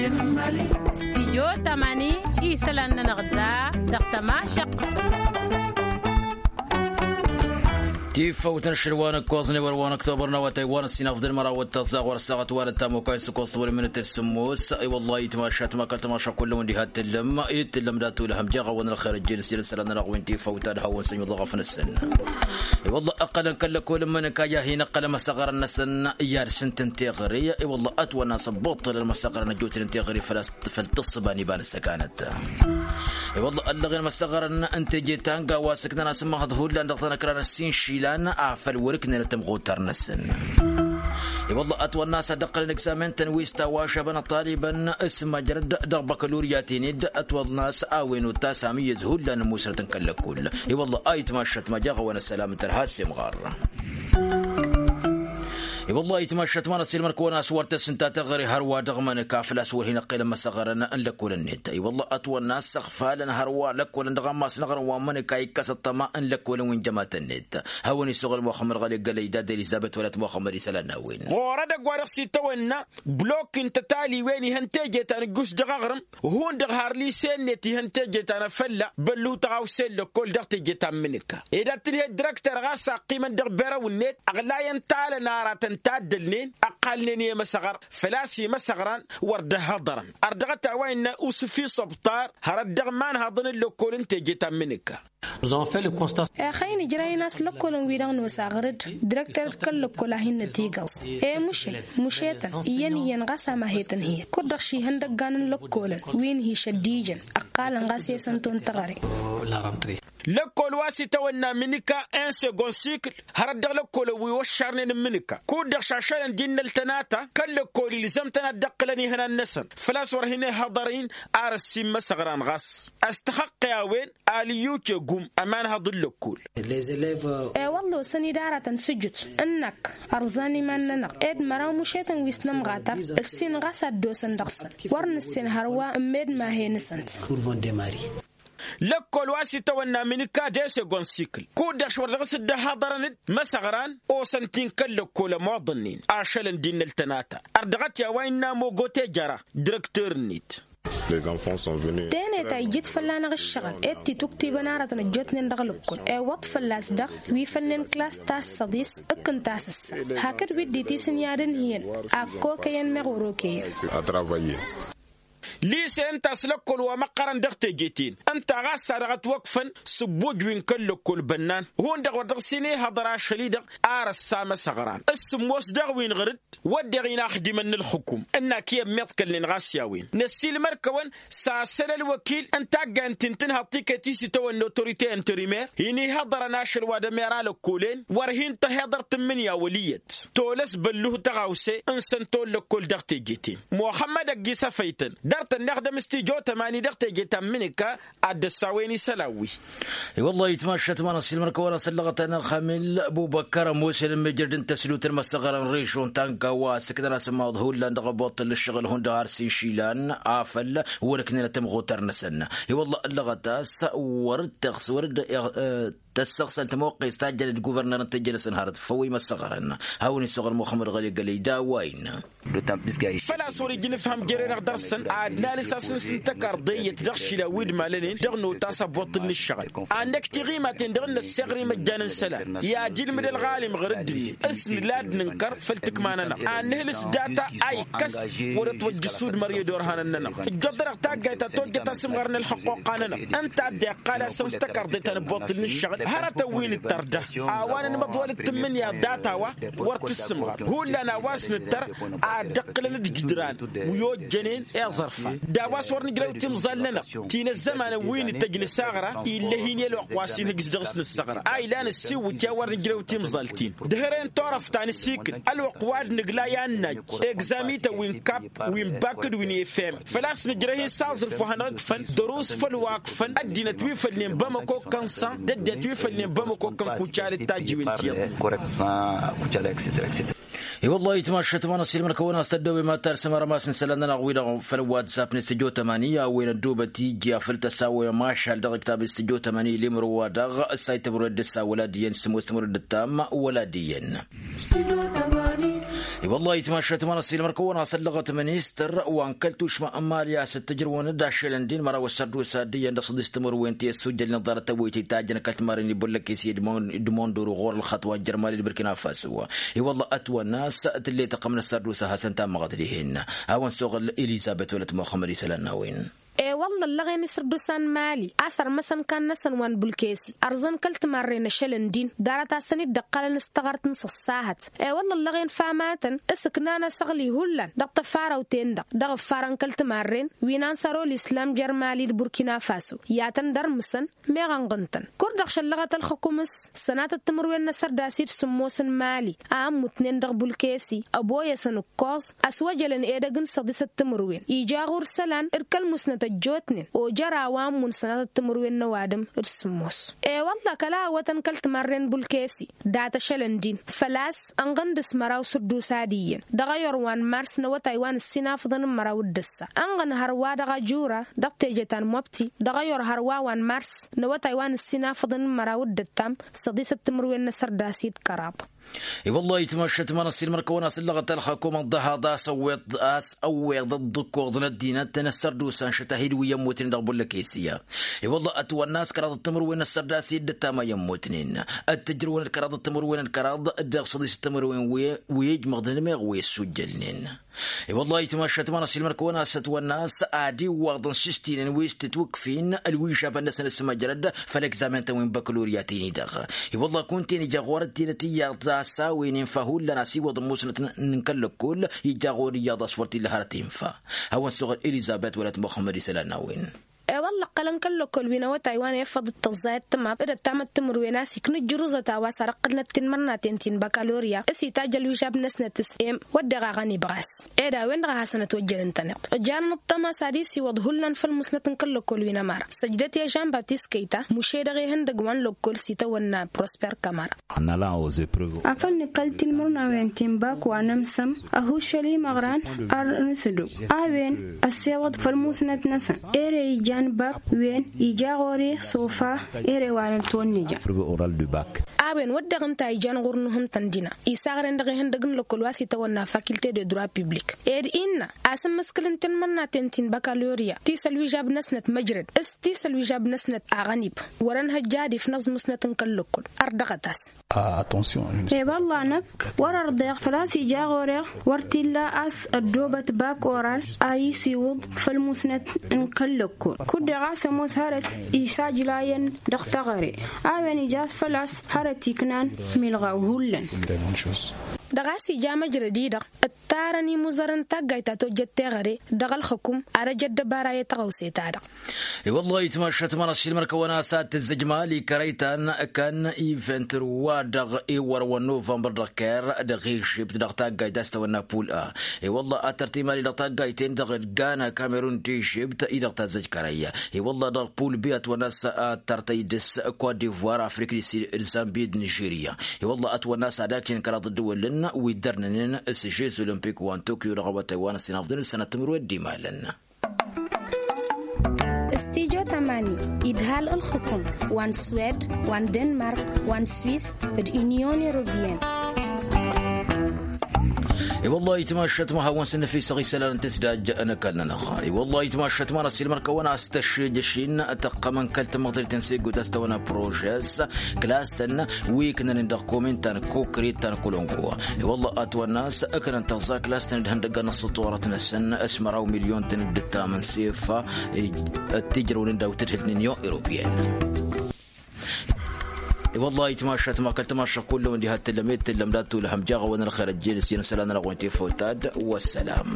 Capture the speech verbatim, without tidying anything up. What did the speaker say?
Stijyo tamani isălan-nănăɣ da dăɣ-tămašăq. Tifăwt n-ašăl wa n-ǝkkoẓăn i-wăr wa n-ăktobăr n-awătay wa n-ăssinafḍăn măraw d-tăẓẓaɣ wăr ăssaɣăt wa n-ăttamukay s-ǝkkoẓ tăwăl minăt s-sǝmmos. I-wăllah itmašat ma kăl-tămaša kull-wăn diha t-tǝllăm i-t-tǝllăm d-atulăhăm jeɣ-awăn ălxer ăjjeen s-ila isălan-nănăɣ wi n-tifăwt ad-hawăn-săn iwǝḍăɣăf-năsăn. I-wălla ăqqălăn kăl-lăkol n-imǝnǝka i-ad-hin-ăqqălăn imăsăɣărăn-năsăn i-ad-sǝntăn teɣăre. I-wălla ătwănna s-ăbbuṭṭălăn imăsăɣărăn ăjjootnen teɣăre făl-a-s făl tǝssǝba n-iba n-ăssăkanăt. I-wălla ăllăɣen imăsăɣărăn n-teje ta n-gawa sǝknăn-as ǝmmăhăḍ hullan dăɣ-tanăkra n-ăssin išilan afăl wăr-ǝknenăt tamɣutar-năsăn. I-wălla ătwănna a-s ad-ăqqălăn egzamen-tăn wi s-tawašabăn ăṭṭalibăn s-măjrăd dăɣ-băkălurya-ten-dd ătwănna a-s a-wen otas amǝyyăz hullan n-musrăt n-kăl-lăkul. I-wălla a itmašăt ma jaɣ-awăn ăssălam n-tărha s-imɣar. I-wăllah itmašat ma n-ăsilmăr-kăwăn a-s wăr tăsǝnta teɣăre hărwa dăɣ-imănǝka făl-a-s wăr hin-ăqqelăn imăsăɣărăn n-lăkkolăn-net. I-wăllah ătwănna a-s săɣfalăn hărwa lăkkolăn dăɣ-ammas n-aɣrǝm wa n-imănǝka ikkăs ăṭṭăma n-lăkkolăn wi n-jămatăn-net. Hawăn-issoɣăl muxămmăd ɣăli gălăy d-ad-elizăbet wăla t-muxămmăd isălan n-a-wen. Ɣur-edăgg wa dăɣ-s itawănna blok n-tătaliwen ihăn teje ta n-ǝjjus dăɣ-aɣrǝm hundăɣ har lise-net ihăn teje ta n-afălla băllu tăɣawse n-lăkkol dăɣ-teje ta n-imǝnǝka ed ad-tǝnhǝy dd-direkter ɣas a ăqqimăn dăɣ-berăw-net ăɣlayăn talăn aratăn taddălnen ăqqalnen i-emăsăɣăr făl-a-s imăsăɣran wăr dd-ăhhăḍărăn. Ărdăɣăt a-wa innă usǝfi s-ăbṭar hărăt dăɣ-imanhaḍăn n-lăkkol n-teje ta n-imǝnǝka. Ixăyăn ǝjrăyăn a-s lăkkolăn-wi-dăɣ nosa ɣăr-dd direkter d-kăl-lăkkol a hin-nătigăẓ. E mušǝl mušetăn iyyăn iyyăn ɣas a mahităn hi-ădd kud-dăɣ šihăn dăggan n-lăkkolăn wi n-hi-šăddijăn ăqqalăn ɣas i-săn ton teɣăre. Lăkkol wa s-itawănna mǝnǝka en segon sikl hărăt dăɣ-lăkkolăn wi wăššarnen n-mǝnǝka kud-dăɣ šašălăn d-innăl tănata kăl-lăkkol ilzăm-tăn ad-dd-ăqqǝlăn ihănan-năsăn făl-a-s wăr hin-ihăḍăr-in ar ăssimmăsăɣran ɣas. Ăstăxăqqe a-wen alǝyyuce gum ămanhăḍ n-lăkkol. E-wălla osăn-dd aratăn sǝjǝt ǝnnăk ărẓan iman-nănăɣ ed măraw mušetăn wi s-nămɣatăr ǝssin ɣas ad-dd-osăn dăɣ-săn wăr nǝssen hărwa ǝmmed mahe-năsăn. Lăkkol wa s-itawănna mǝnǝka d-esegon sikl kud-dăɣ š-wăr dăɣ-s dd-ăhhăḍărăn-dd măsăɣran osăn-t-in kăl-lăkkol ămoḍănnen ašălăn d-innăl tănata. Ărdăɣăt i-a-wa innă mogote jăra direkter-net. Teneta ijjǝt fălla-năɣ ǝššăɣǝl ed tituktibăn aratăn ăjjootnen dăɣ-lăkkol iwwăḍ fălla-s dăɣ-wi fănnen klas ta s-săḍis ǝkkǝn-t a-s ǝssa hakd wi dd-itisǝnyadăn hi-ănn. Akkokăyăn meɣ wăr-okăyăn. Lise ǝnta a-s lăkkol wa măqqărăn dăɣ-teje-ten ǝnta ɣas a dăɣ-ătwăkfăn s-ǝbbuj wi n-kăl-lăkkol bănnan hundăɣ wăr dăɣ-s hin-ihăḍăr ašăl-i-dăɣ ar ăssa măsăɣran s-sǝmmos daɣ wi n-ɣăr-dd. Wădden inaxdimăn n-ǝlxǝkum ǝnnak i-ămmiḍkălnen ɣas i-a-wen năssiilmăd-kăwăn s-asăn ălwăkil n-taggayăn ti n-tǝnhăḍ tiket-i s-itawănna otorite interimer hin-ihăḍărăn ašăl wa d-ămera lăkkolen wăr hin-tăhiḍăr tǝmmǝnǝya wăl' iyyăt tolăs bălluh tăɣawse n-săn tolăkkol dăɣ-teje-ten. Muxămmăd ăgg-isăfăy-tăn dăr-tăn-năɣdăm s-tijo tămani dăɣ-teje ta n-imǝnǝka ad-dd-ăssawăyăn isălan-wi. I-wăllah itmašat ma n-ăssiilmăr-kăwăn a-s ăllăɣăt-anăɣ xamil bubăkkăr ămoosăn ămmijăr d-intăslut n-imăsăɣărăn režon ta n-gawa ăssăknăn-as ămmaḍ hullan dăɣ-aboṭṭăl n-ǝššăɣǝl hundăɣ har s-inšilan afăl wăr-ǝknenăt tămɣutar-năsăn. I-wăllah ăllăɣăt a-s wăr-dd-tăɣs wăr-dd-tăssăɣsăn tămoqqes ta jăn d-guvărnăr n-tejănăsăn hărăt făw imăsăɣărăn. Hawăn-issoɣăl muxămmăd ɣăli gălăy d-a-wa innă. Făl-a-s wăr-ija inǝfhăm jere-dăɣ dăr-săn ad-nalǝs asǝns n-tăkarḍe iyyăt dăɣ-išilan wi d-malănen dăɣ-notas aboṭṭǝl n-ǝššăɣǝl ad-năkk tiɣimaten dăɣ-năsseɣr imăjjan n-isălan i-ad-ilmǝd ălɣalim ɣur-dd-net s-nǝla ad-nǝnkăr făll-tǝkma-nănăɣ ad-nǝhǝlǝs data a ikkăs wăr-ătwăjj ǝssudmăr i-ădorhanăn-nănăɣ. Ǝjjoḍărăɣ taggayt ta tojjăt asǝmɣăr n-ălxăqquqa-nănăɣ ǝnta a dd-iqqal a-s ăns tăkarḍe ta n-ăbboṭṭǝl n-ǝššăɣǝl hărătăn wi nǝttăr da a-wa nănmăḍwăl d-tǝmmǝnǝya data-wa wăr tǝssǝmɣăr hullan a-wa s-nǝttăr ad-dd-ǝqqǝlăn d-ǝjdǝran wi ojjănen i-iẓărfan d-a-wa s-wăr nǝjrăw timẓal-nănăɣ ti n-ăzzămanăn wi nǝttăj nǝsaɣra ill'-e-hin i-ălwăqq wa s-inhǝjj dăɣ-s nǝssăɣra a ilan ăssiwǝt i-a wăr nǝjrăw timẓal-t-in. Dăhr-e n-turăft ta n-asikǝl ălwăqq wa d-nǝgla i-ad-najj egzami-tăn wi n-kap wi n-bakǝd wi n-efem făl-a-s nǝjrăh-in s-aẓrǝf wa hanăɣ-ǝkfăn dărus făll-wa ǝkfăn ăddinăt wi fălnen bamăko kăn-san d-ăddinăt wi fălnen bamăko kăn kucal d-tajiwen ti-iyyăḍ. I-wăllah itmašat ma n-ăsilmăr-kăwăn a-s tăddobem ad-talsăm arămas n-isălan-nănăɣ-wi-dăɣ făll-whatsapp n-istǝjo tămani a-wen ăddoobăt iji afăl tăsawăyăm ašal dăɣ-iktab istǝjo tămani limro-wa-dăɣ ǝssay tămăro d-ǝssa wăla d-iyyăn s-tămoos tămăro d-ǝttam wăla d-iyyăn. I-wălla itmašat ma n-ăssiilmăr-kăwăn-asăllăɣăt ministăr wa n-kăl-tušma n-mali a-s t-ǝjrǝwăn-dd ašălăn din măraw ăssărdusa d-iyyăn dăɣ-săḍis timǝrwen ti ăssujjălnen ḍarăt ăwwăy tǝjjăn kăl-timarren ibbăllăkes i-edmondoro ɣur-ălxăṭṭ wa n-jăr mali d-burkina faso. I-wălla ătwănna a-s tǝlley tăqqăm n-ăssărdusa hasăn-tammăɣăt dihen. Hawăn-suɣǝl elizăbet wălăt muxămmăd isălan n-a-wen. E-wălla ăllăɣen isărdusa n-mali a-s ărmăsăn kan-năsăn wa n-bulkesi ărzăn kăl-timarren ašălăn din ḍarăt-asăn-dd ǝqqălăn s-taɣărt n-săssahăt. E-wălla ăllăɣen famatăn s-ǝknan asăɣli hullan dăɣ-tăfarăwten-dăɣ dăɣ-ǝffarăn kăl-timarren wi n-ansărol islam jer-mali d-burkina faso i-ad-tăn-dd-ărmǝsăn meɣ ănɣǝn-tăn. Kur-dăɣ šăllăɣăt ălxǝkum s-sănatăt timǝrwen n-asărdas i-dd sǝmmos n-mali a ămmutnen dăɣ-bulkesi ăboyăsăn ǝkkoẓ ăswăjălăn edăgg n-săḍisăt timǝrwen ija ɣur-isălan d-kăl-musnăt ăjjootnen ojăr a-wa ămmun sănatăt timǝrwen n-ăwadǝm d-sǝmmos. E-wălla kăla ăwwătăn kăl-timarren bulkesi dat-ašălăn din făl-a-s ănɣǝn dăɣ-s măraw s-ǝddusa d-iyyăn dăɣ-ayor wa n-mars n-awătay wa n-ǝssin afǝḍăn n-măraw d-ǝssa ănɣǝn hărwa dăɣ-ajura dăɣ-teje ta n-mobti dăɣ-ayor hărwa wa n-mars n-awătay wa n-ǝssin afǝḍăn n-măraw d-ǝttam săḍisăt timǝrwen n-asărdas i-dd kăraḍ. I-wălla itmašat ma n-ăssiilmăr-kăwăn-asăllăɣăt ălxăkum ăḍḍăhaḍ a-s ăwweḍ a-s ăwweḍ ăḍḍǝkkoḍ n-ăddinăt n-ăssărdusa n-šăt ahid wi ămmutnen dăɣ-bullăkesiya. I-wălla ătwănna a-s kăraḍăt timǝrwen n-ăssărdas i-dd-ăttam a i-ămmutnen ăttǝjrǝwăn d-kăraḍăt timǝrwen d-kăraḍ dăɣ-săḍisăt timǝrwen wi ijmăḍnen meɣ wi ăssujjălnen. I-wălla itmašat ma n-ăssiilmăr-kăwăn-asăt wănna a-s ad-iwwaḍăn s-istinen wi s-tǝtwǝkfin ălwižabăn-năsăn s-măjrăd făll-egzamen-tăn wi n-băkălorya-ten-i-dăɣ. I-wălla kunta-en ija ɣur-ăddinăt iyyăḍ a-s a-wen infa hullan a-s iwwăḍăn musnăt n-kăl-lăkkol ija ɣur-iyyăḍ a-s wăr t-illa hărăt infa. Hawăn-suɣǝl elizăbet wălăt muxămmăd isălan n-a-wen. E-wălla ǝqqălăn kăl-lăkkol wi n-awătay wa n-efăḍ d-tăẓẓayăt timaḍ d-ăttamăt timǝrwen a-s ikna ǝjjǝruẓăt a-wa s-arăqqǝlnăt tinmărnaten ti n-băkălorya s-itajj ălwižab-năsnăt s-em wădden a ɣănib ɣas. Ed a-wen-dăɣ a hasăn-ătwăjjălăn taneḍt ǝjjanăn ăṭṭăma s-ad-isiwǝḍ hullan făll-musnăt n-kăl-lăkkol wi n-ămăra săjdăt i-žan batis kăyta muše dăɣ-ihăndăg wa n-lăkkol s-itawănna prosper kamara. Afăl nǝkkăl tinmărnawen ti n-bak wa n-ămsăm ăhuššăl imăɣran ar n-sǝdǝw a-wen ăssewăḍ făll-musnăt-năsăn ere ijan bak wen ija ɣur-e s-ofa ere wa n-ăltwănnija. A-wen wădden ǝnta ijan ɣur-nuhǝntăn dina isaɣren dăɣ-ihăndăg n-lăkkol wa s-itawănna fakilte de droi publik ed innă a-s ǝmmǝskǝl n-tinmărnaten ti n-băkălorya ti s-ălwižab-năsnăt măjrăd s-ti s-ălwižab-năsnăt aɣănib wăr-ănhăjja ad-ifnăẓ musnăt n-kăl-lăkkol. Ărdăɣăt-as. E-wălla-năk wăr-ărḍeɣ făl-a-s ija ɣur-eɣ wăr t-illa a-s ăddoobăt bak oral a isiwǝḍ făll-musnăt n-kăl-lăkkol kud-dăɣ a-s ămoos hărăt isajlayăn dăɣ-teɣăre a-wen ija a-s făl-a-s hărăt iknan milɣaw hullan. Dăɣ-a-s ija măjrăd-i-dăɣ ǝttarăn imuzărăn taggayt ta tojjăt teɣăre dăɣ-ălxǝkum ad-ăj ăddăbara i-tăɣăwse-ta-dăɣ. I-wăllah itmašat ma n-ašilmăr kăwăn-asat tǝzzǝj mali kărăy-tan kăn-i vintrǝwa dăɣ-ewăr wa n-novămbăr dăɣ-ker dăɣ-ežipt dăɣ-taggayt a-s tăwănna pul a. I-wăllah ad-tărtǝy mali dăɣ-taggayt-en-dăɣ d-gana kamerun d-ežipt i-dăɣ tazzăj kărăy. I-wăllah dăɣ-pul bi ătwănna a-s ad-tărtăy dăɣ-s kot divoir afrik d-zambi d-nižirya. I-wăllah ătwănna a-s ad-akǝyăn kăraḍ ǝddǝwălăn wi dd-ărnănen s-žez olimpik wa n-tokyo dăɣ-awătay wa n-ăssinafḍăn d-sănat timǝrwen d-imalăn. Studyo tamani idhal ǝlxǝkum wa n-swed wa n-denmark wa n-swis d-unyon europeyenne. I-wăllah itmašat ma hawăn-săn năfisăɣ isălan n-tǝsdaj n-ăkall-nănăɣ. I-wăllah itmašat ma n-asilmăr kăwăn-as tăššejăšin tăqqămăn kăl-tamăḍrit n-sigut a-s tăwănna prožez klas-tăn wi ǝknănen dăɣ-komin ta n-kokrit ta n-kolonko. I-wăllah ătwănna a-s ǝknăn tăẓẓa klas-tăn d-ihăndăggan n-ăṣṣuṭurăt-năsăn s-măraw milyon-tăn d-ǝttam n-sef. Ăttijrăwnen daw-tadhǝlt n-unyon europeyenne. I-wăllah itmašat ma kăl-tamašăɣ kullăm diha t-tǝllăm i-d-tǝllăm dat-tulhăm jaɣ-awăn ălxer ăjjeen s-iyyăn isălan-nănăɣ wa n-tifăwt ad-wăssalam.